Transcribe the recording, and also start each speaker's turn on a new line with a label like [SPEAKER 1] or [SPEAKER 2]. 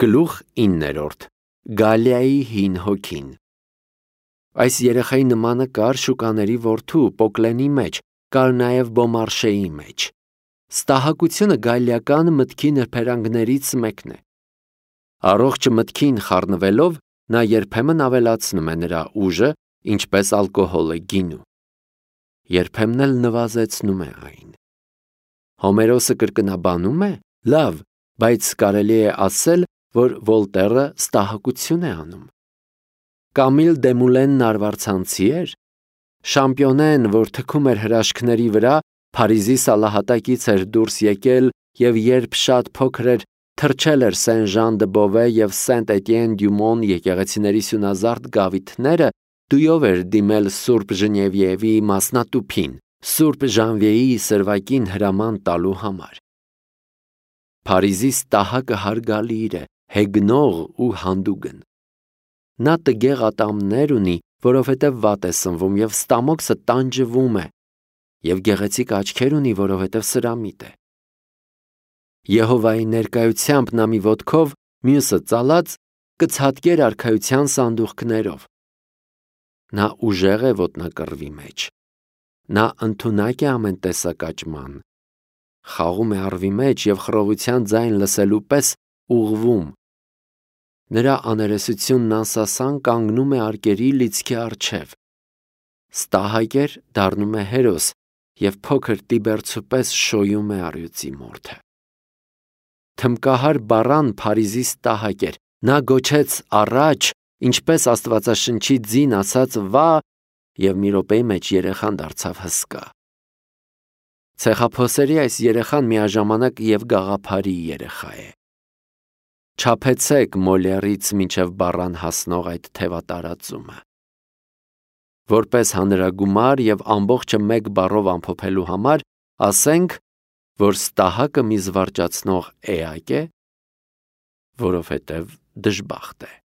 [SPEAKER 1] Գլուխ 9. Գալիայի հին հոգին։ Այս երեխայի նմանը կար շուկաների որդու Պոկլենի մեջ, կար նաև Բոմարշեի մեջ։ Ստահակությունը գալիական մտքի նրբերանգներից մեկն է։ Առողջ մտքին խառնվելով, նա երբեմն ավելացնում է նրա ուժը, ինչպես ալկոհոլը գինու։ Երբեմն էլ նվազեցնում է այն։ Հոմերոսը կրկնաբանում է, լավ, բայց կարելի է ասել, որ Վոլտերը ստահակություն է անում։ Կամիլ Դեմուլենն արվարձանցի էր։ Շամպիոնեն, որ թքում էր հրաշքների վրա, Փարիզի սալահատակից էր դուրս եկել և երբ շատ փոքր էր, թռչել էր Սեն-Ժան-դը-Բովե և Սենտ-Էտիեն-դյու-Մոն եկեղեցիների սյունազարդ գավիթները, դույով էր դիմել Սուրբ Ժնևիևի մասնատուփին, Սուրբ Ժանվիեի սրվակին հրաման տալու համար։ Փարիզի ստահակը հարգալիր է, հեգնող ու հանդուգն։ Նա տգեղ ատամներ ունի, որովհետև վատ է սնվում և ստամոքսը տանջվում է, և գեղեցիկ աչքեր ունի, որովհետև սրամիտ է։ Եհովայի ներկայությամբ նա մի ոտքով, մյուսը ծալած, կցատկեր արքայության սանդուղքներով։ Նա ուժեղ է ոտնակռվի մեջ։ Նա ընդունակ է ամեն տեսակ աճման։ Խաղում է առվի մեջ և խռովության ձայն լսելու պես ուղղվում։ Նրա աներեսությունն անսասան կանգնում է արկերի լիցքի առջև։ Ստահակ էր, դառնում է հերոս և փոքր տիբերցու պես շոյում է առյուծի մորթը։ Թմբկահար բառան Փարիզի ստահակ էր։ Նա գոչեց առաջ, ինչպես Աստվածաշնչի ձին ասաց վա, և մի րոպեի մեջ երեխան դարձավ հսկա։ Ցեխափոսերի այս երեխան միաժամանակ և գաղափարի երեխա է։ Չափեցեք Մոլերից մինչև բառան հասնող այդ թևատարածումը։ Որպես հանրագումար և ամբողջը մեկ բառով ամփոփելու համար, ասենք, որ ստահակը մի զվարճացնող էակ է, որովհետև դժբախտ է։